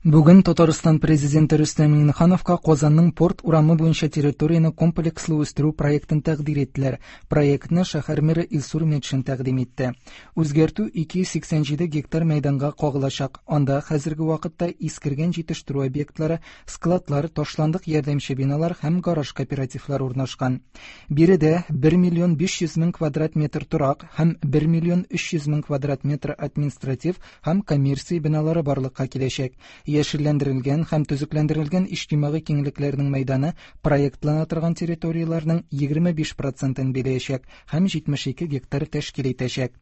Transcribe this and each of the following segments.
Бүген Татарстан Президенты Рөстәм Миңнехановка Казанның Порт урамы буенча территорияне комплекслы үстерү проектын тәкъдир иттеләр. Проектны шәһәр мэры Илсур Метшин тәкъдим итте. Үзгәртү 287 гектар мәйданга кагылачак. Анда хәзерге вакытта искергән җитештерү объектлары, складлар, ташландык ярдәмче биналар һәм гараж кооперативлары урнашкан. Биредә 1 миллион 500 мең квадрат метр торак һәм 1 миллион 300 мең квадрат метр административ һәм коммерция биналары барлыкка киләчәк. Яшелләндерелгән һәм төзекләндерелгән иҗтимагый киңлекләрнең мәйданы проектлана торган территорияләрнең 25 процентын биләячәк һәм 72 гектар тәшкил итәчәк.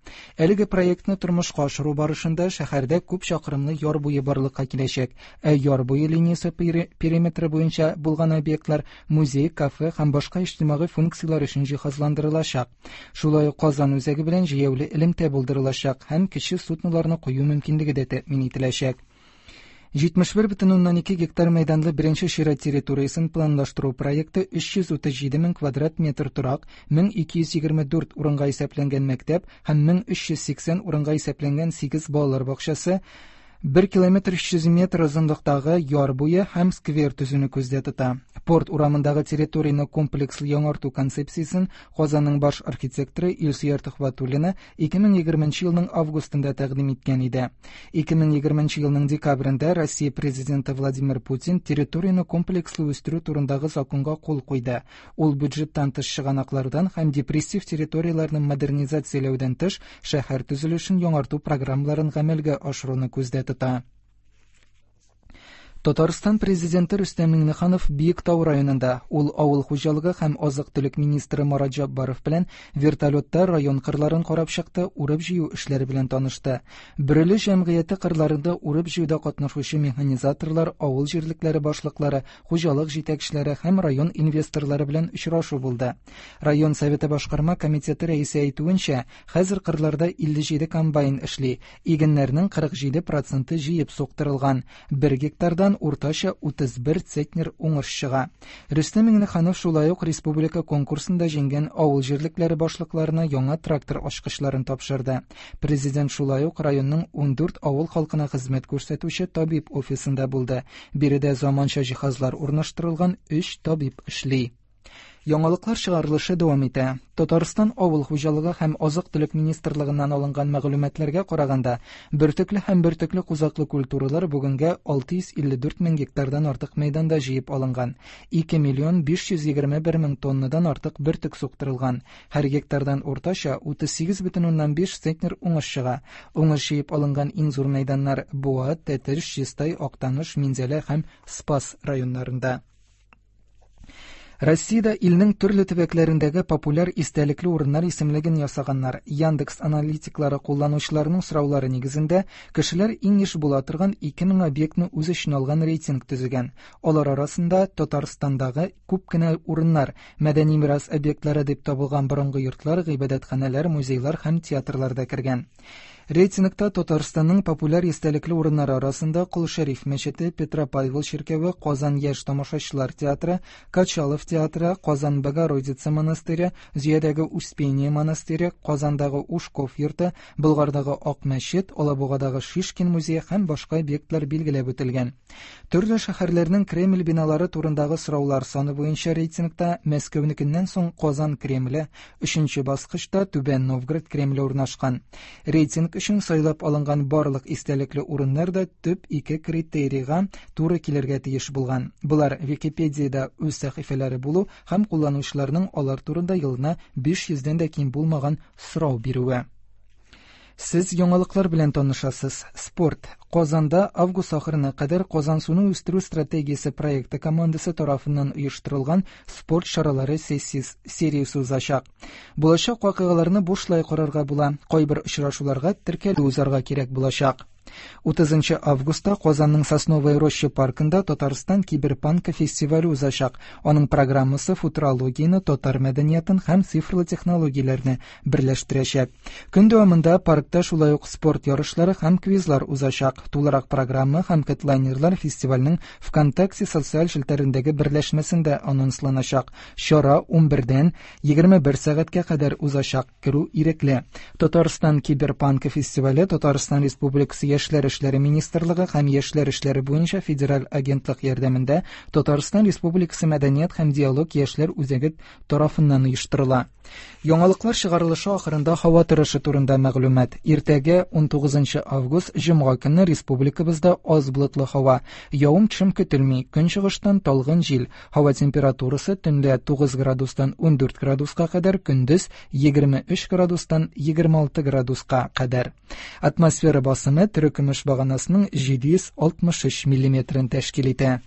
Әлеге проектны тормышка ашыру барышында шәһәрдә күп чакрымлы яр буе барлыкка киләчәк, ә яр буе линиясе периметры буенча булган объектлар музей, кафе һәм башка иҗтимагый функцияләр өчен җиһазландырылачак. Шулай ук Казан үзәге белән җәяүле элемтә булдырылачак һәм кече судноларны кую мөмкинлеге дә тәэмин ителәчәк. 71,2 гектар мәйданлы беренче чират территориясен планлаштыру проекты 337 мең квадрат метр торак, 1224 урынга исәпләнгән мәктәп һәм 1380 урынга исәпләнгән 8 балалар бакчасы, 1 километр 300 метр озынлыктагы яр буе һәм сквер төзүне күздә тота. Порт урамындагы территорияне комплекслы яңарту концепциясен Казанның баш архитекторы Илсөяр Төхвәтуллина 2020 елның августында тәкъдим иткән иде. 2020 елның декабрендә Россия президенты Владимир Путин территорияне комплекслы үстерү турындагы законга кул куйды. Ул бюджеттан тыш чыганаклардан һәм депрессив территорияләрне модернизацияләүдән тыш шәһәр төзелешен яңарту программаларын гамәлгә ашыруны күздә тота. Татарстан президенты Рөстәм Миңнеханов Биектау районында ул авыл хуҗалыгы һәм азык-төлек министры Марат Җаббаров белән вертолетта район кырларын карап чыкты, урып-җыю эшләре белән танышты. Бөреле җәмгыяте кырларында урып-җыюда катнашучы механизаторлар, авыл җирлекләре башлыклары, хуҗалык җитәкчеләре һәм район инвесторлары белән очрашу булды. Район советы башкарма комитеты рәисе әйтүенчә, хәзер кырларда 57 комбайн эшли, игеннәрнең 47 проценты җыеп суктырылган. Бер гектардан уртача 31 центнер уңыш чыга. Рөстәм Миңнеханов шулай ук республика конкурсында җиңгән авыл җирлекләре башлыкларына яңа трактор ачкычларын тапшырды. Президент шулай ук районның 14 авыл халкына хезмәт күрсәтүче табиб офисында булды. Биредә заманча җиһазлар урнаштырылган 3 табиб эшли. Яңалыклар чыгарылышы дәвам итә. Татарстан авыл хуҗалыгы һәм азык-төлек министрлыгыннан алынган мәгълүматларга караганда, бөртекле һәм бөртекле кузаклы культуралар бүгенгә 654 мең гектардан артык мәйданда җыеп алынган. 2 миллион 521 мең тоннадан артык бөртек суктырылган. Һәр гектардан уртача 38,5 центнер уңыш чыга. Уңыш җыеп алынган иң зур мәйданнар Буа, Тәтеш, Чистай, Актаныш, Минзәлә һәм Спас районнарында. Россиядә илнең төрле төбәкләрендәге популяр истәлекле урыннар исемлеген ясаганнар. Яндекс аналитиклары кулланучыларның сораулары нигезендә кешеләр иң еш була торган 2000 объектны үз эченә алган рейтинг төзегән. Алар арасында Татарстандагы күп кенә урыннар, мәдәни мирас объектлары дип табылган борынгы йортлар, гыйбадәтханәләр, музейлар һәм театрлар да кергән. Рейтингта Татарстанның популяр истәлекле урыннары арасында Кол Шәриф мәчете, Петропавел чиркәве, Казан яшь тамашачылар театры, Качалов театры, Казан Богородица монастыре, Зөядәге Успение монастыре, Казандагы Ушков йорты, Болгардагы Ак мәчет, Алабугадагы Шишкин музее һәм башка объектлар билгеләп үтелгән. Төрле шәһәрләрнең Кремль биналары турындагы сораулар саны буенча рейтингта Мәскәүнекеннән соң Казан Кремле, өченче баскычта Түбән Новгород Кремле урнашкан. Рейтинг өчен сайлап алынган барлык истәлекле урыннар да төп ике критерийга туры килергә тиеш булган. Болар Википедиядә үз сәхифәләре булу һәм кулланучыларның алар турында елына 500дән дә ким булмаган сорау бирүе. Сез яңалыклар белән танышасыз. Спорт. Казанда август ахырына кадәр Казансуны үстерү стратегиясе проекты командасы тарафыннан оештырылган спорт чаралары сериясе узачак. Булачак вакыйгаларны бушлай карарга була. Кайбер очрашуларга теркәлү узарга кирәк булачак. 30 августта Казанның Сосновая роща паркында Татарстан киберпанка фестивале узачак. Аның программасы футурологияне, татар мәдәниятын һәм цифрлы технологияләрне берләштерәчәк. Көн дәвамында паркта шулай ук спорт ярышлары һәм квизлар узачак. Тулырак программа һәм хедлайнерлар фестивальнең ВКонтакте социаль челтәрендәге берләшмәсендә анонсланачак. Чара 11-дән 21 сәгатькә кадәр узачак. Керү ирекле. Татарстан киберпанка фестивале Татарстан Республикасы Яшьләр эшләре министрлыгы һәм Яшьләр эшләре буенча федераль агентлык ярдәмендә Татарстан Республикасы Мәдәният һәм диалог яшьләр үзәге тарафыннан оештырыла. Яңалыклар чыгарылышы ахырында һава торышы турында мәгълүмат. Иртәгә 19 август җомга көнне республикабызда аз болытлы һава. Явым-төшем көтелми. Көнчыгыштан талгын җил. Һава температурасы төнлә 9 градустан 14 градуска кадәр, көндез 23 градустан 26 градуска кадәр. Атмосфера басымы терекөмеш баганасының 763 миллиметрын тәшкил итә.